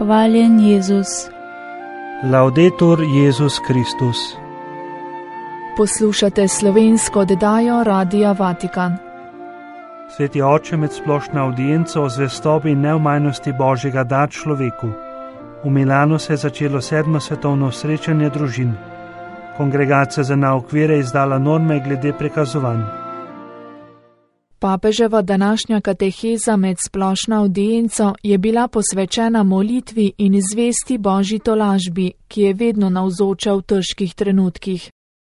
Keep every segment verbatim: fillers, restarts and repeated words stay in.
Hvaljen Jezus. Laudetur Jezus Kristus. Poslušate slovensko oddajo Radia Vatikan. Sveti oče, med splošno avdienco o zvestobi in neomajnosti Božjega da človeku. V Milanu se je začelo sedmo svetovno srečanje družin. Kongregacija za nauk vere je izdala norme glede prekazovanj. Papeževa današnja kateheza med splošno avdienco je bila posvečena molitvi in zvesti Božji tolažbi, ki je vedno navzoča v težkih trenutkih.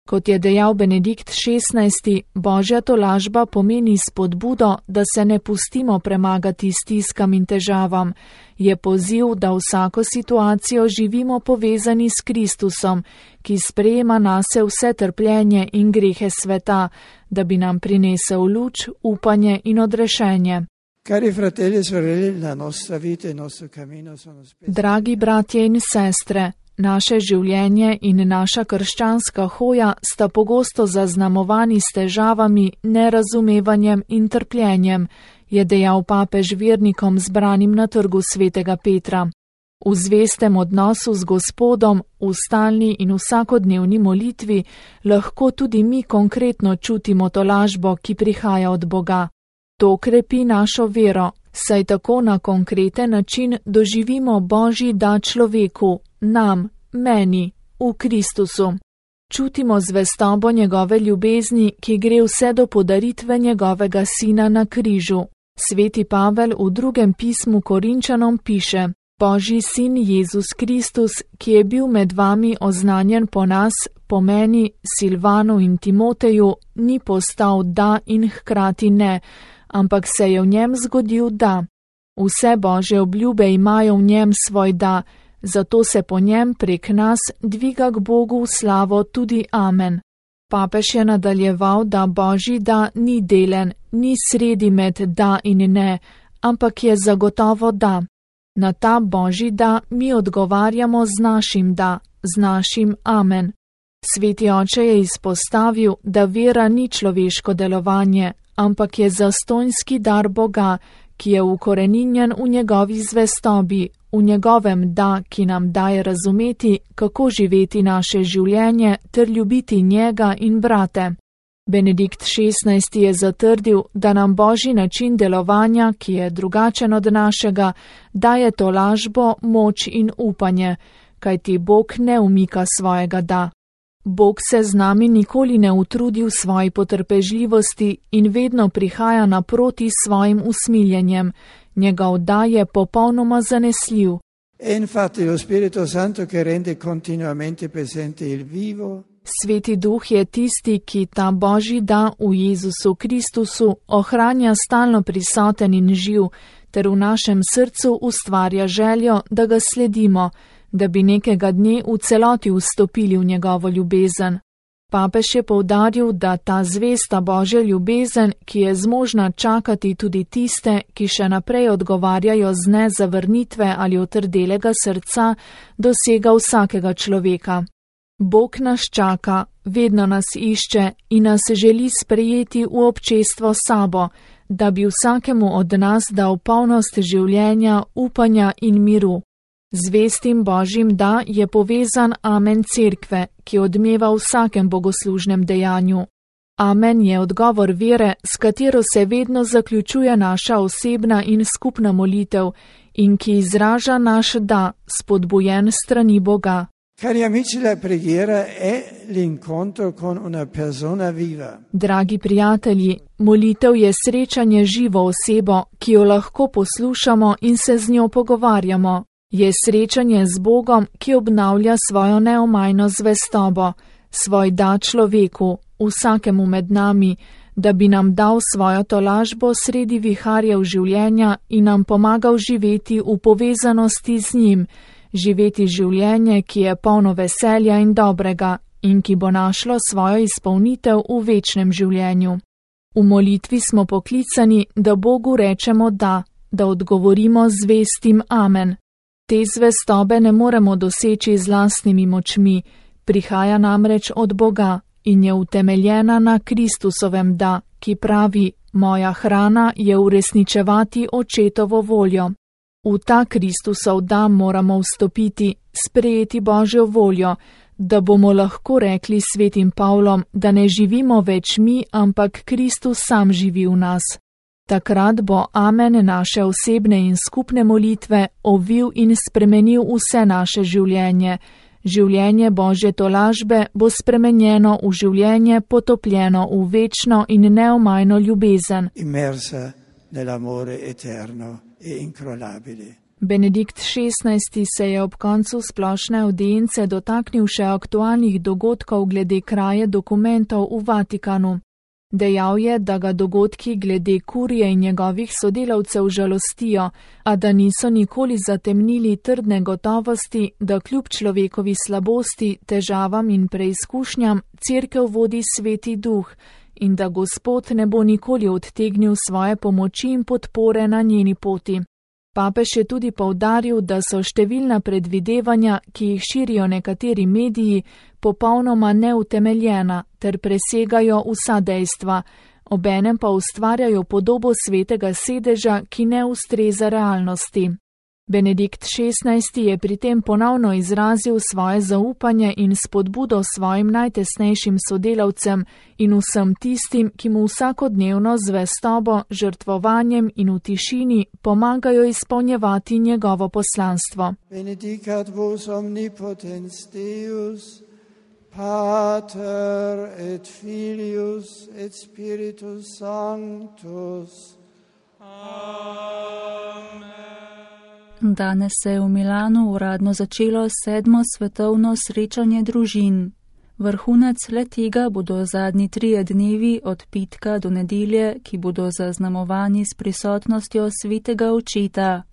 Kot je dejal Benedikt šestnajsti, Božja tolažba pomeni spodbudo, da se ne pustimo premagati stiskam in težavam. Je poziv, da vsako situacijo živimo povezani s Kristusom, ki sprejema nase vse trpljenje in grehe sveta, da bi nam prinesel luč, upanje in odrešenje. Dragi bratje in sestre, naše življenje in naša krščanska hoja sta pogosto zaznamovani s težavami, nerazumevanjem in trpljenjem, je dejal papež vernikom zbranim na trgu svetega Petra. V zvestem odnosu z Gospodom, v stalni in vsakodnevni molitvi, lahko tudi mi konkretno čutimo tolažbo, ki prihaja od Boga. To krepi našo vero, saj tako na konkreten način doživimo Božji dar človeku, nam, meni, v Kristusu. Čutimo zvestobo njegove ljubezni, ki gre vse do podaritve njegovega sina na križu. Sveti Pavel v drugem pismu Korinčanom piše: Božji sin Jezus Kristus, ki je bil med vami oznanjen po nas, po meni, Silvanu in Timoteju, ni postal da in hkrati ne, ampak se je v njem zgodil da. Vse Božje obljube imajo v njem svoj da, zato se po njem prek nas dviga k Bogu v slavo tudi amen. Papež je nadaljeval, da Božji da ni delen, ni sredi med da in ne, ampak je zagotovo da. Na ta Božji da mi odgovarjamo z našim da, z našim amen. Sveti oče je izpostavil, da vera ni človeško delovanje, ampak je zastonjski dar Boga, ki je ukoreninjen v njegovi zvestobi, v njegovem da, ki nam daje razumeti, kako živeti naše življenje ter ljubiti njega in brate. Benedikt šestnajsti je zatrdil, da nam Božji način delovanja, ki je drugačen od našega, daje tolažbo, moč in upanje, kajti Bog ne umika svojega da. Bog se z nami nikoli ne utrudi v svoji potrpežljivosti in vedno prihaja naproti svojim usmiljenjem. Njegov da je popolnoma zanesljiv. Sveti Duh je tisti, ki ta Božji da v Jezusu Kristusu ohranja stalno prisoten in živ, ter v našem srcu ustvarja željo, da ga sledimo, da bi nekega dne v celoti vstopili v njegovo ljubezen. Papež je poudaril, da ta zvesta Božja ljubezen, ki je zmožna čakati tudi tiste, ki še naprej odgovarjajo z ne zavrnitve ali otrdelega srca, dosega vsakega človeka. Bog nas čaka, vedno nas išče in nas želi sprejeti v občestvo sabo, da bi vsakemu od nas dal polnost življenja, upanja in miru. Zvestim Božjim da je povezan amen cerkve, ki odmeva v vsakem bogoslužnem dejanju. Amen je odgovor vere, s katero se vedno zaključuje naša osebna in skupna molitev in ki izraža naš da, spodbujen strani Boga. Dragi prijatelji, molitev je srečanje živo osebo, ki jo lahko poslušamo in se z njo pogovarjamo. Je srečanje z Bogom, ki obnavlja svojo neomajno zvestobo, svoj da človeku, vsakemu med nami, da bi nam dal svojo tolažbo sredi viharjev življenja in nam pomagal živeti v povezanosti z njim, živeti življenje, ki je polno veselja in dobrega in ki bo našlo svojo izpolnitev v večnem življenju. V molitvi smo poklicani, da Bogu rečemo da, da odgovorimo z zvestim amen. Te zvestobe ne moremo doseči z lastnimi močmi, prihaja namreč od Boga in je utemeljena na Kristusovem da, ki pravi: moja hrana je uresničevati očetovo voljo. V ta Kristusov dam moramo vstopiti, sprejeti Božjo voljo, da bomo lahko rekli svetim Pavlom, da ne živimo več mi, ampak Kristus sam živi v nas. Takrat bo amen naše osebne in skupne molitve ovil in spremenil vse naše življenje. Življenje Božje tolažbe bo spremenjeno v življenje potopljeno v večno in neomajno ljubezen. Immersa nell'amore eterno e incrollabile. Benedikt šestnajsti se je ob koncu splošne avdience dotaknil še aktualnih dogodkov glede kraje dokumentov v Vatikanu. Dejal je, da ga dogodki glede kurije in njegovih sodelavcev žalostijo, a da niso nikoli zatemnili trdne gotovosti, da kljub človekovi slabosti, težavam in preizkušnjam cerkev vodi Sveti Duh in da Gospod ne bo nikoli odtegnil svoje pomoči in podpore na njeni poti. Papež je tudi poudaril, da so številna predvidevanja, ki jih širijo nekateri mediji, popolnoma neutemeljena ter presegajo vsa dejstva, obenem pa ustvarjajo podobo svetega sedeža, ki ne ustreza realnosti. Benedikt šestnajsti je pri tem ponovno izrazil svoje zaupanje in spodbudo svojim najtesnejšim sodelavcem in vsem tistim, ki mu vsakodnevno z zvestobo, žrtvovanjem in v tišini pomagajo izpolnjevati njegovo poslanstvo. Benedicat vos omnipotens Deus, Pater et Filius et Spiritus Sanctus. Amen. Danes se je v Milanu uradno začelo sedmo svetovno srečanje družin. Vrhunec le tega bodo zadnji trije dnevi od petka do nedelje, ki bodo zaznamovani s prisotnostjo svetega očeta.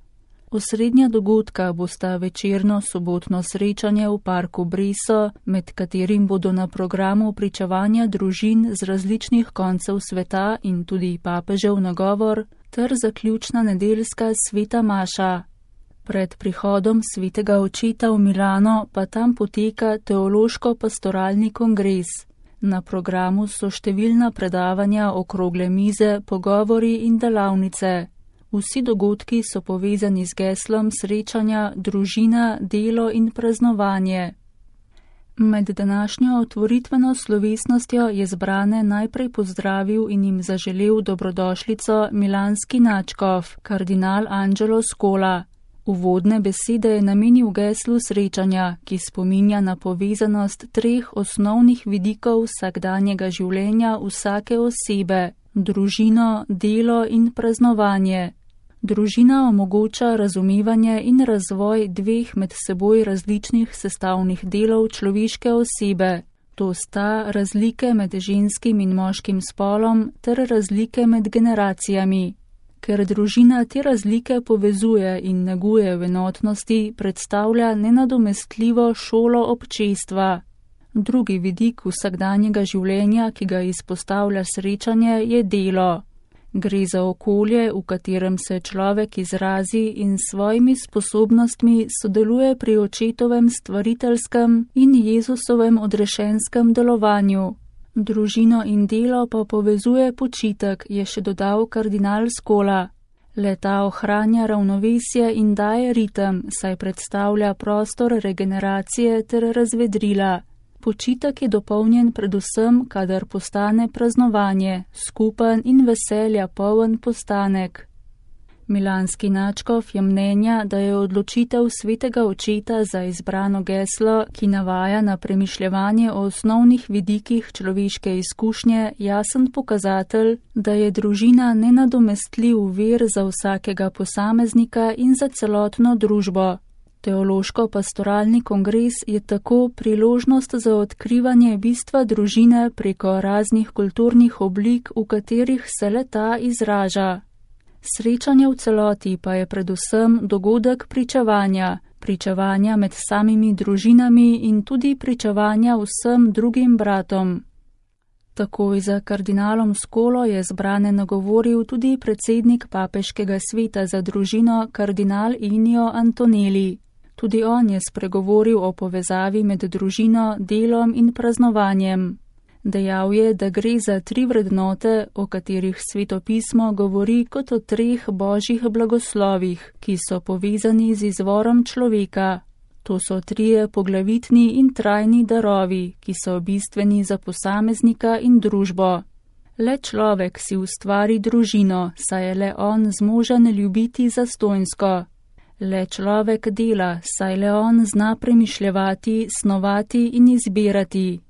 Osrednja dogodka bosta večerno sobotno srečanje v parku Breso, med katerim bodo na programu pričevanja družin z različnih koncev sveta in tudi papežev nagovor, ter zaključna nedeljska sveta maša. Pred prihodom svetega očeta v Milano pa tam poteka teološko-pastoralni kongres. Na programu so številna predavanja, okrogle mize, pogovori in delavnice. Vsi dogodki so povezani z geslom srečanja družina, delo in praznovanje. Med današnjo otvoritveno slovesnostjo je zbrane najprej pozdravil in jim zaželel dobrodošlico milanski nadškof, kardinal Angelo Scola. Uvodne besede je namenil geslu srečanja, ki spominja na povezanost treh osnovnih vidikov vsakdanjega življenja vsake osebe: družino, delo in praznovanje. Družina omogoča razumevanje in razvoj dveh med seboj različnih sestavnih delov človeške osebe. To sta razlike med ženskim in moškim spolom ter razlike med generacijami. Ker družina te razlike povezuje in neguje v enotnosti, predstavlja nenadomestljivo šolo občestva. Drugi vidik vsakdanjega življenja, ki ga izpostavlja srečanje, je delo. Gre za okolje, v katerem se človek izrazi in s svojimi sposobnostmi sodeluje pri očetovem stvariteljskem in Jezusovem odrešenskem delovanju. Družino in delo pa povezuje počitek, je še dodal kardinal Scola. Le-ta ohranja ravnovesje in daje ritem, saj predstavlja prostor regeneracije ter razvedrila. Počitek je dopolnjen predvsem, kadar postane praznovanje, skupen in veselja poln postanek. Milanski nadškof je mnenja, da je odločitev svetega očeta za izbrano geslo, ki navaja na premišljevanje o osnovnih vidikih človeške izkušnje, jasen pokazatelj, da je družina nenadomestljiv vir za vsakega posameznika in za celotno družbo. Teološko-pastoralni kongres je tako priložnost za odkrivanje bistva družine preko raznih kulturnih oblik, v katerih se le-ta izraža. Srečanje v celoti pa je predvsem dogodek pričevanja, pričevanja med samimi družinami in tudi pričevanja vsem drugim bratom. Takoj za kardinalom Scolo je zbrane nagovoril tudi predsednik papeškega sveta za družino, kardinal Ennio Antonelli. Tudi on je spregovoril o povezavi med družino, delom in praznovanjem. Dejal je, da gre za tri vrednote, o katerih Svetopismo govori kot o treh božjih blagoslovih, ki so povezani z izvorom človeka. To so trije poglavitni in trajni darovi, ki so bistveni za posameznika in družbo. Le človek si ustvari družino, saj je le on zmožen ljubiti zastonjsko. Le človek dela, saj le on zna premišljevati, snovati in izbirati.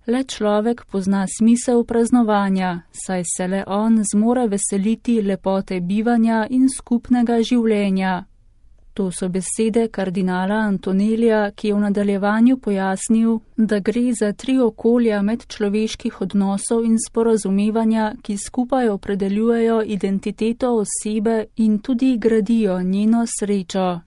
Le človek pozna smisel praznovanja, saj se le on zmore veseliti lepote bivanja in skupnega življenja. To so besede kardinala Antonelija, ki je v nadaljevanju pojasnil, da gre za tri okolja medčloveških odnosov in sporazumevanja, ki skupaj opredeljujejo identiteto osebe in tudi gradijo njeno srečo.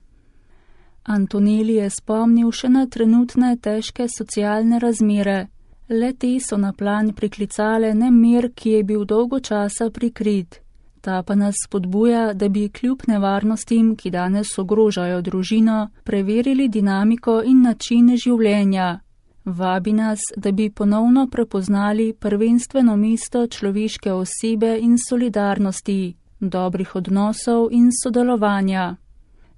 Antonelij je spomnil še na trenutne težke socialne razmere. Le te so na plan priklicale nemir, ki je bil dolgo časa prikrit. Ta pa nas spodbuja, da bi kljub nevarnostim, ki danes ogrožajo družino, preverili dinamiko in način življenja. Vabi nas, da bi ponovno prepoznali prvenstveno mesto človeške osebe in solidarnosti, dobrih odnosov in sodelovanja.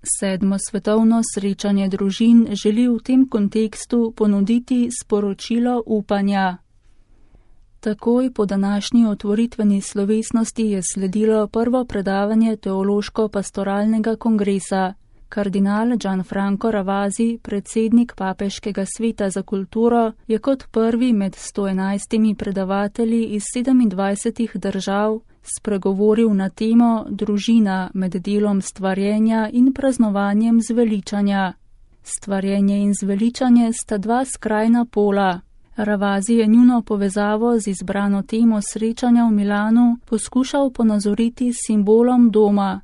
Sedmo svetovno srečanje družin želi v tem kontekstu ponuditi sporočilo upanja. Takoj po današnji otvoritveni slovesnosti je sledilo prvo predavanje Teološko-pastoralnega kongresa. Kardinal Gianfranco Ravasi, predsednik Papeškega sveta za kulturo, je kot prvi med sto enajstimi predavatelji iz sedemindvajsetih držav spregovoril na temo družina med delom stvarjenja in praznovanjem zveličanja. Stvarjenje in zveličanje sta dva skrajna pola. Ravasi je njuno povezavo z izbrano temo srečanja v Milanu poskušal ponazoriti s simbolom doma.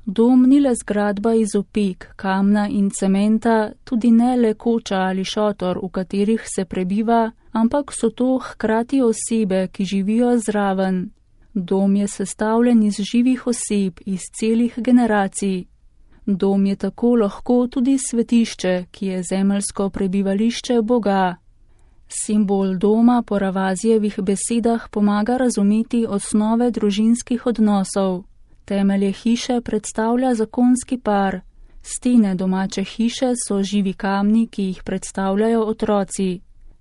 Dom ni le zgradba iz opek, kamna in cementa, tudi ne le koča ali šotor, v katerih se prebiva, ampak so to hkrati osebe, ki živijo zraven. Dom je sestavljen iz živih oseb, iz celih generacij. Dom je tako lahko tudi svetišče, ki je zemeljsko prebivališče Boga. Simbol doma po Ravasijevih besedah pomaga razumeti osnove družinskih odnosov. Temelje hiše predstavlja zakonski par. Stene domače hiše so živi kamni, ki jih predstavljajo otroci.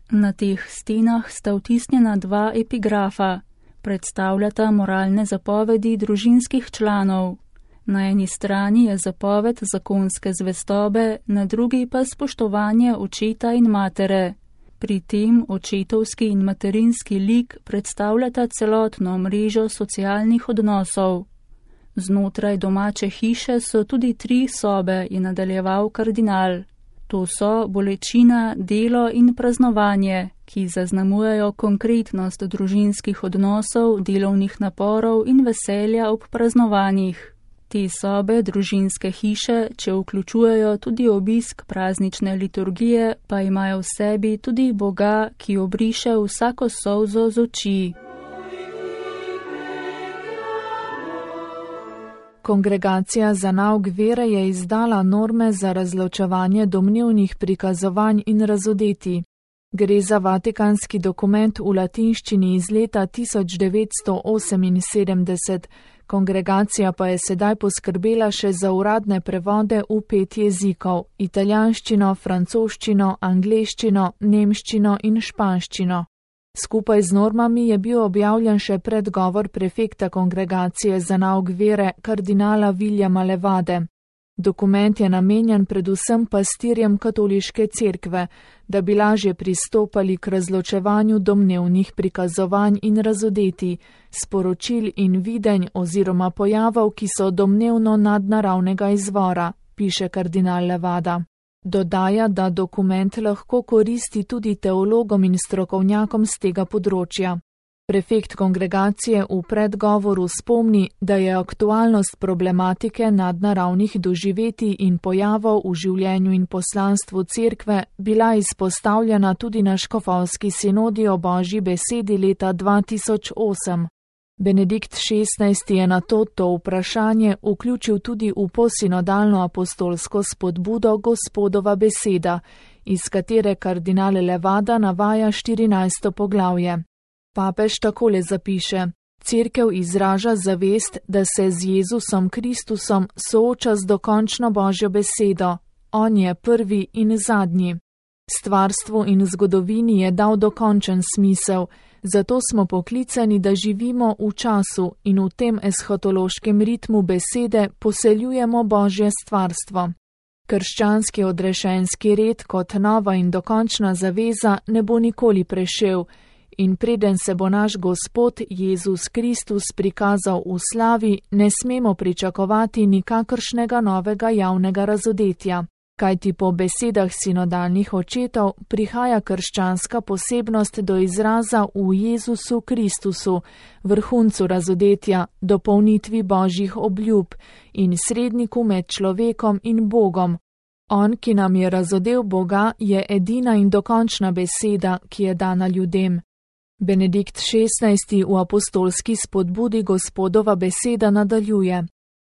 Na teh stenah sta vtisnjena dva epigrafa. Predstavljata moralne zapovedi družinskih članov. Na eni strani je zapoved zakonske zvestobe, na drugi pa spoštovanje očeta in matere. Pri tem očetovski in materinski lik predstavljata celotno mrežo socialnih odnosov. Znotraj domače hiše so tudi tri sobe, je nadaljeval kardinal. To so bolečina, delo in praznovanje, ki zaznamujejo konkretnost družinskih odnosov, delovnih naporov in veselja ob praznovanjih. Te sobe družinske hiše, če vključujejo tudi obisk praznične liturgije, pa imajo v sebi tudi Boga, ki obriše vsako solzo z oči. Kongregacija za nauk vere je izdala norme za razločevanje domnevnih prikazovanj in razodeti. Gre za vatikanski dokument v latinščini iz leta tisoč devetsto oseminsedemdeset, kongregacija pa je sedaj poskrbela še za uradne prevode v pet jezikov: italijanščino, francoščino, angleščino, nemščino in španščino. Skupaj z normami je bil objavljen še predgovor prefekta kongregacije za nauk vere kardinala Viljama Levade. Dokument je namenjen predvsem pastirjem katoliške cerkve, da bi lažje pristopali k razločevanju domnevnih prikazovanj in razodeti, sporočil in videnj oziroma pojavov, ki so domnevno nadnaravnega izvora, piše kardinal Levada. Dodaja, da dokument lahko koristi tudi teologom in strokovnjakom z tega področja. Prefekt kongregacije v predgovoru spomni, da je aktualnost problematike nadnaravnih doživetij in pojavov v življenju in poslanstvu cerkve bila izpostavljena tudi na škofovski sinodi o Božji besedi leta dva tisoč osem. Benedikt šestnajsti je na to to vprašanje vključil tudi v posinodalno apostolsko spodbudo Gospodova beseda, iz katere kardinal Levada navaja štirinajsto poglavje. Papež takole zapiše: Cerkev izraža zavest, da se z Jezusom Kristusom sooča z dokončno Božjo besedo. On je prvi in zadnji. Stvarstvu in zgodovini je dal dokončen smisel, zato smo poklicani, da živimo v času in v tem eshatološkem ritmu besede poseljujemo Božje stvarstvo. Krščanski odrešenski red kot nova in dokončna zaveza ne bo nikoli prešel, in preden se bo naš Gospod Jezus Kristus prikazal v slavi, ne smemo pričakovati nikakršnega novega javnega razodetja. Kajti po besedah sinodalnih očetov prihaja krščanska posebnost do izraza v Jezusu Kristusu, vrhuncu razodetja, dopolnitvi Božjih obljub in sredniku med človekom in Bogom. On, ki nam je razodel Boga, je edina in dokončna beseda, ki je dana ljudem. Benedikt šestnajsti v apostolski spodbudi Gospodova beseda nadaljuje: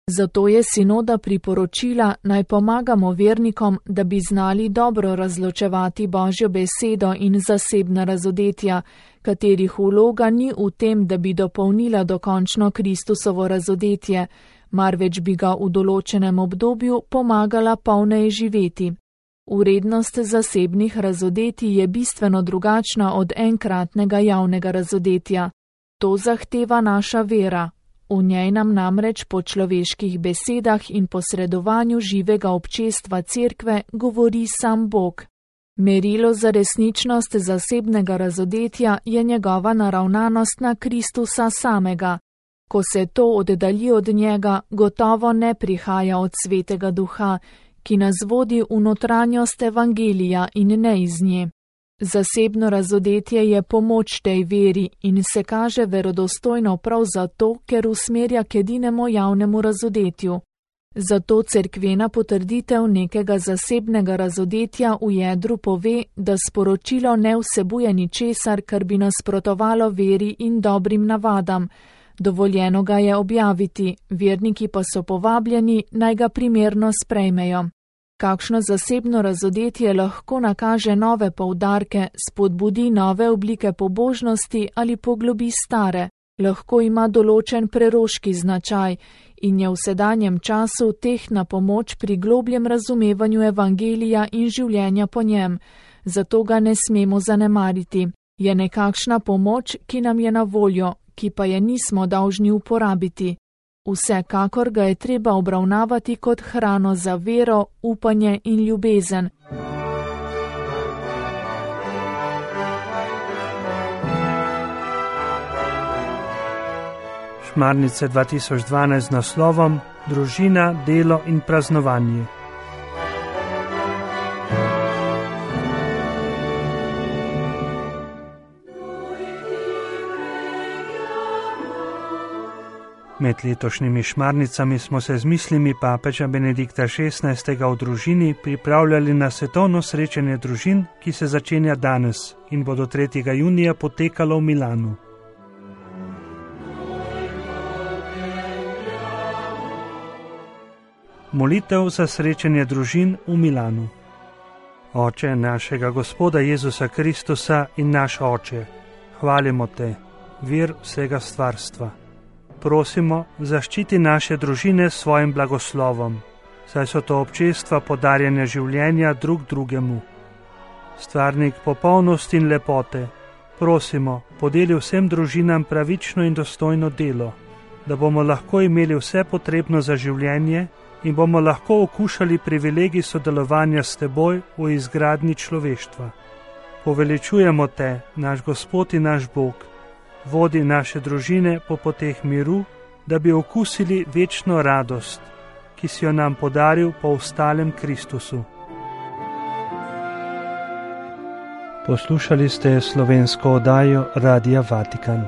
Zato je sinoda priporočila, naj pomagamo vernikom, da bi znali dobro razločevati Božjo besedo in zasebna razodetja, katerih vloga ni v tem, da bi dopolnila dokončno Kristusovo razodetje, marveč bi ga v določenem obdobju pomagala polneje živeti. Vrednost zasebnih razodetij je bistveno drugačna od enkratnega javnega razodetja. To zahteva naša vera. V njej nam namreč po človeških besedah in posredovanju živega občestva cerkve govori sam Bog. Merilo za resničnost zasebnega razodetja je njegova naravnanost na Kristusa samega. Ko se to oddalji od njega, gotovo ne prihaja od Svetega Duha, ki nas vodi v notranjost evangelija in ne iz nje. Zasebno razodetje je pomoč tej veri in se kaže verodostojno prav zato, ker usmerja k edinemu javnemu razodetju. Zato cerkvena potrditev nekega zasebnega razodetja v jedru pove, da sporočilo ne vsebuje ničesar, kar bi nasprotovalo veri in dobrim navadam. Dovoljeno ga je objaviti, verniki pa so povabljeni, naj ga primerno sprejmejo. Kakšno zasebno razodetje lahko nakaže nove poudarke, spodbudi nove oblike pobožnosti ali poglobi stare, lahko ima določen preroški značaj in je v sedanjem času tehtna pomoč pri globljem razumevanju evangelija in življenja po njem, zato ga ne smemo zanemariti. Je nekakšna pomoč, ki nam je na voljo, ki pa je nismo dolžni uporabiti. Vsekakor ga je treba obravnavati kot hrano za vero, upanje in ljubezen. Šmarnice dva tisoč dvanajst z naslovom Družina, delo in praznovanje. Med letošnjimi šmarnicami smo se z mislimi papeža Benedikta šestnajstega v družini pripravljali na svetovno srečanje družin, ki se začenja danes in bo do tretjega junija potekalo v Milanu. Molitev za srečanje družin v Milanu. Oče našega Gospoda Jezusa Kristusa in naš Oče, hvalimo te, vir vsega stvarstva. Prosimo, zaščiti naše družine s svojim blagoslovom, saj so to občestva podarjanja življenja drug drugemu. Stvarnik popolnosti in lepote, prosimo, podeli vsem družinam pravično in dostojno delo, da bomo lahko imeli vse potrebno za življenje in bomo lahko okušali privilegij sodelovanja s teboj v izgradnji človeštva. Poveličujemo te, naš Gospod in naš Bog, vodi naše družine po poteh miru, da bi okusili večno radost, ki si jo nam podaril po vstalem Kristusu. Poslušali ste slovensko oddajo Radia Vatikan.